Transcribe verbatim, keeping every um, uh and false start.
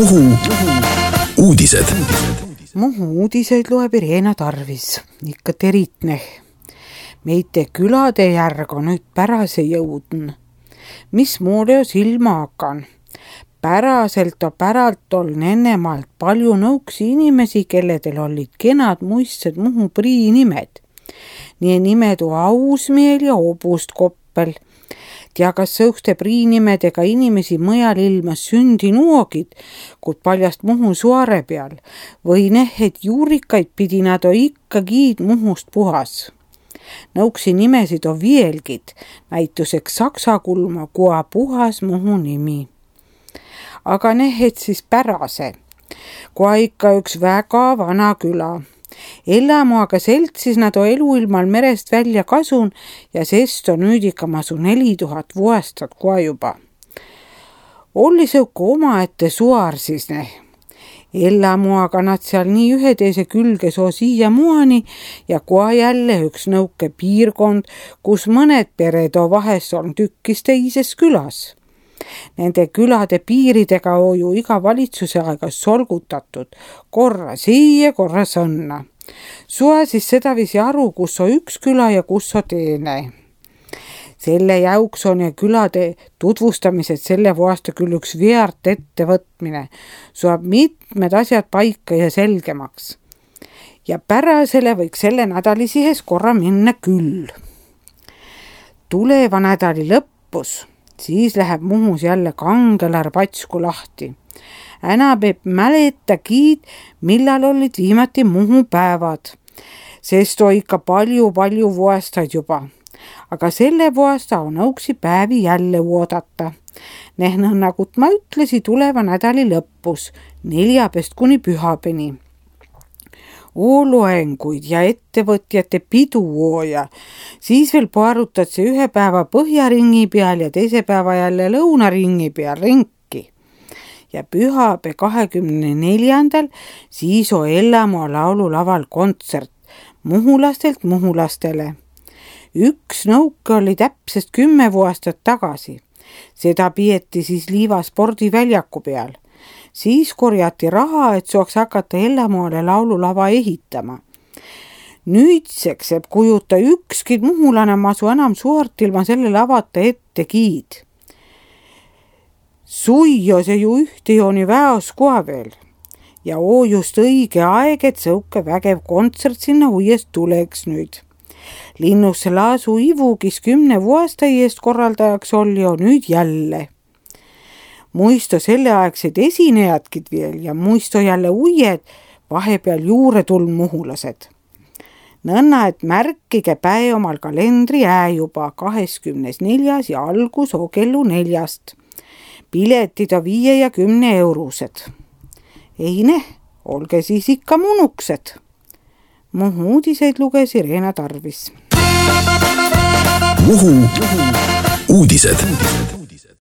Muhu uudised. Muhu uudiseid loeb Irena Tarvis, ikka teritne. Meite külade järg on nüüd pärase jõudn. Mis mulle jo silma hakan? Päraselt o päralt ol nennemaalt palju nõuksi inimesi, kelledel olid kenad muistsed Muhu prii nimed. Nii nimedu Ausmiel ja Obustkoppel. Ja kas sõuste priinimedega inimesi mõjal ilmas sündi nuogid, kuid paljast Muhu suare peal, või nehed juurikaid pidi nad o ikka giid Muhust puhas. Nõuksi nimesid o vielgid, näituseks saksa kulma, kua puhas Muhu nimi. Aga nehed siis pärase, kua ikka üks väga vana küla. Ellamuaga seltsis nad o eluilmal merest välja kasun ja sest on nüüd ikka masu neli tuhat vuostat kua juba. Olli sõuku omaette suar siis ne. Ellamuaga nad seal nii ühe teise külge soo siia muani ja kua jälle üks nõuke piirkond, kus mõned pered o vahes on tükkis teises külas. Nende külade piiridega on ju iga valitsuse aega solgutatud, korra siia, korra sõnna. Sua siis sedavisi aru, kus on üks küla ja kus on teine. Selle jauks on ja külade tutvustamised selle vuosta küll üks veart ettevõtmine. Suab mitmed asjad paika ja selgemaks. Ja pärasele võiks selle nädali sihes korra minna küll. Tuleva nädali lõppus. Siis läheb Muhus jälle kangelar patsku lahti. Äna peab mäleta kiid, millal olid viimati Muhu päevad. Sest on ikka palju-palju vuostaid juba. Aga selle vuosta on õuksi päevi jälle oodata. Nehna, nagu ma ütlesi, tuleva nädali lõppus, neljapest kuni pühapeni. Loenguid ja ettevõtjate piduooja. Siis veel paarutad see ühe päeva põhjaringi peal ja teise päeva jälle lõunaringi peal ringi. Ja pühapäeva kahekümne neljandal siis on Ellamaa laululaval kontsert muhulastelt muhulastele. Üks nõuke oli täpsest kümme vuostat tagasi. Seda pieti siis Liiva spordiväljaku peal. Siis korjati raha, et saaks hakata Ellamaale laululava ehitama. Nüüdseks eb kujuta ükski muhulane masu enam suurt ilma selle lavata ette giid. Suio see ju ühte jooni väos koha veel. Ja oo just õige aeg, et sõuke vägev kontsert sinna uuest tuleks nüüd. Linnusse laasu Ivu, kes kümne vuosta eest korraldajaks oli, on nüüd jälle. Muisto selleaegsed esinejadkid veel ja muisto jälle uued, vahepeal juure tulnud muhulased. Nõnna, et märkige päe omal kalendri ää juba kaheksakümne neljas ja algus o kellu neljast. Piletid on viie ja kümne eurused. Ei ne, olge siis ikka munuksed. Muhu uudiseid luges Irena Tarvis. Muhu uudised.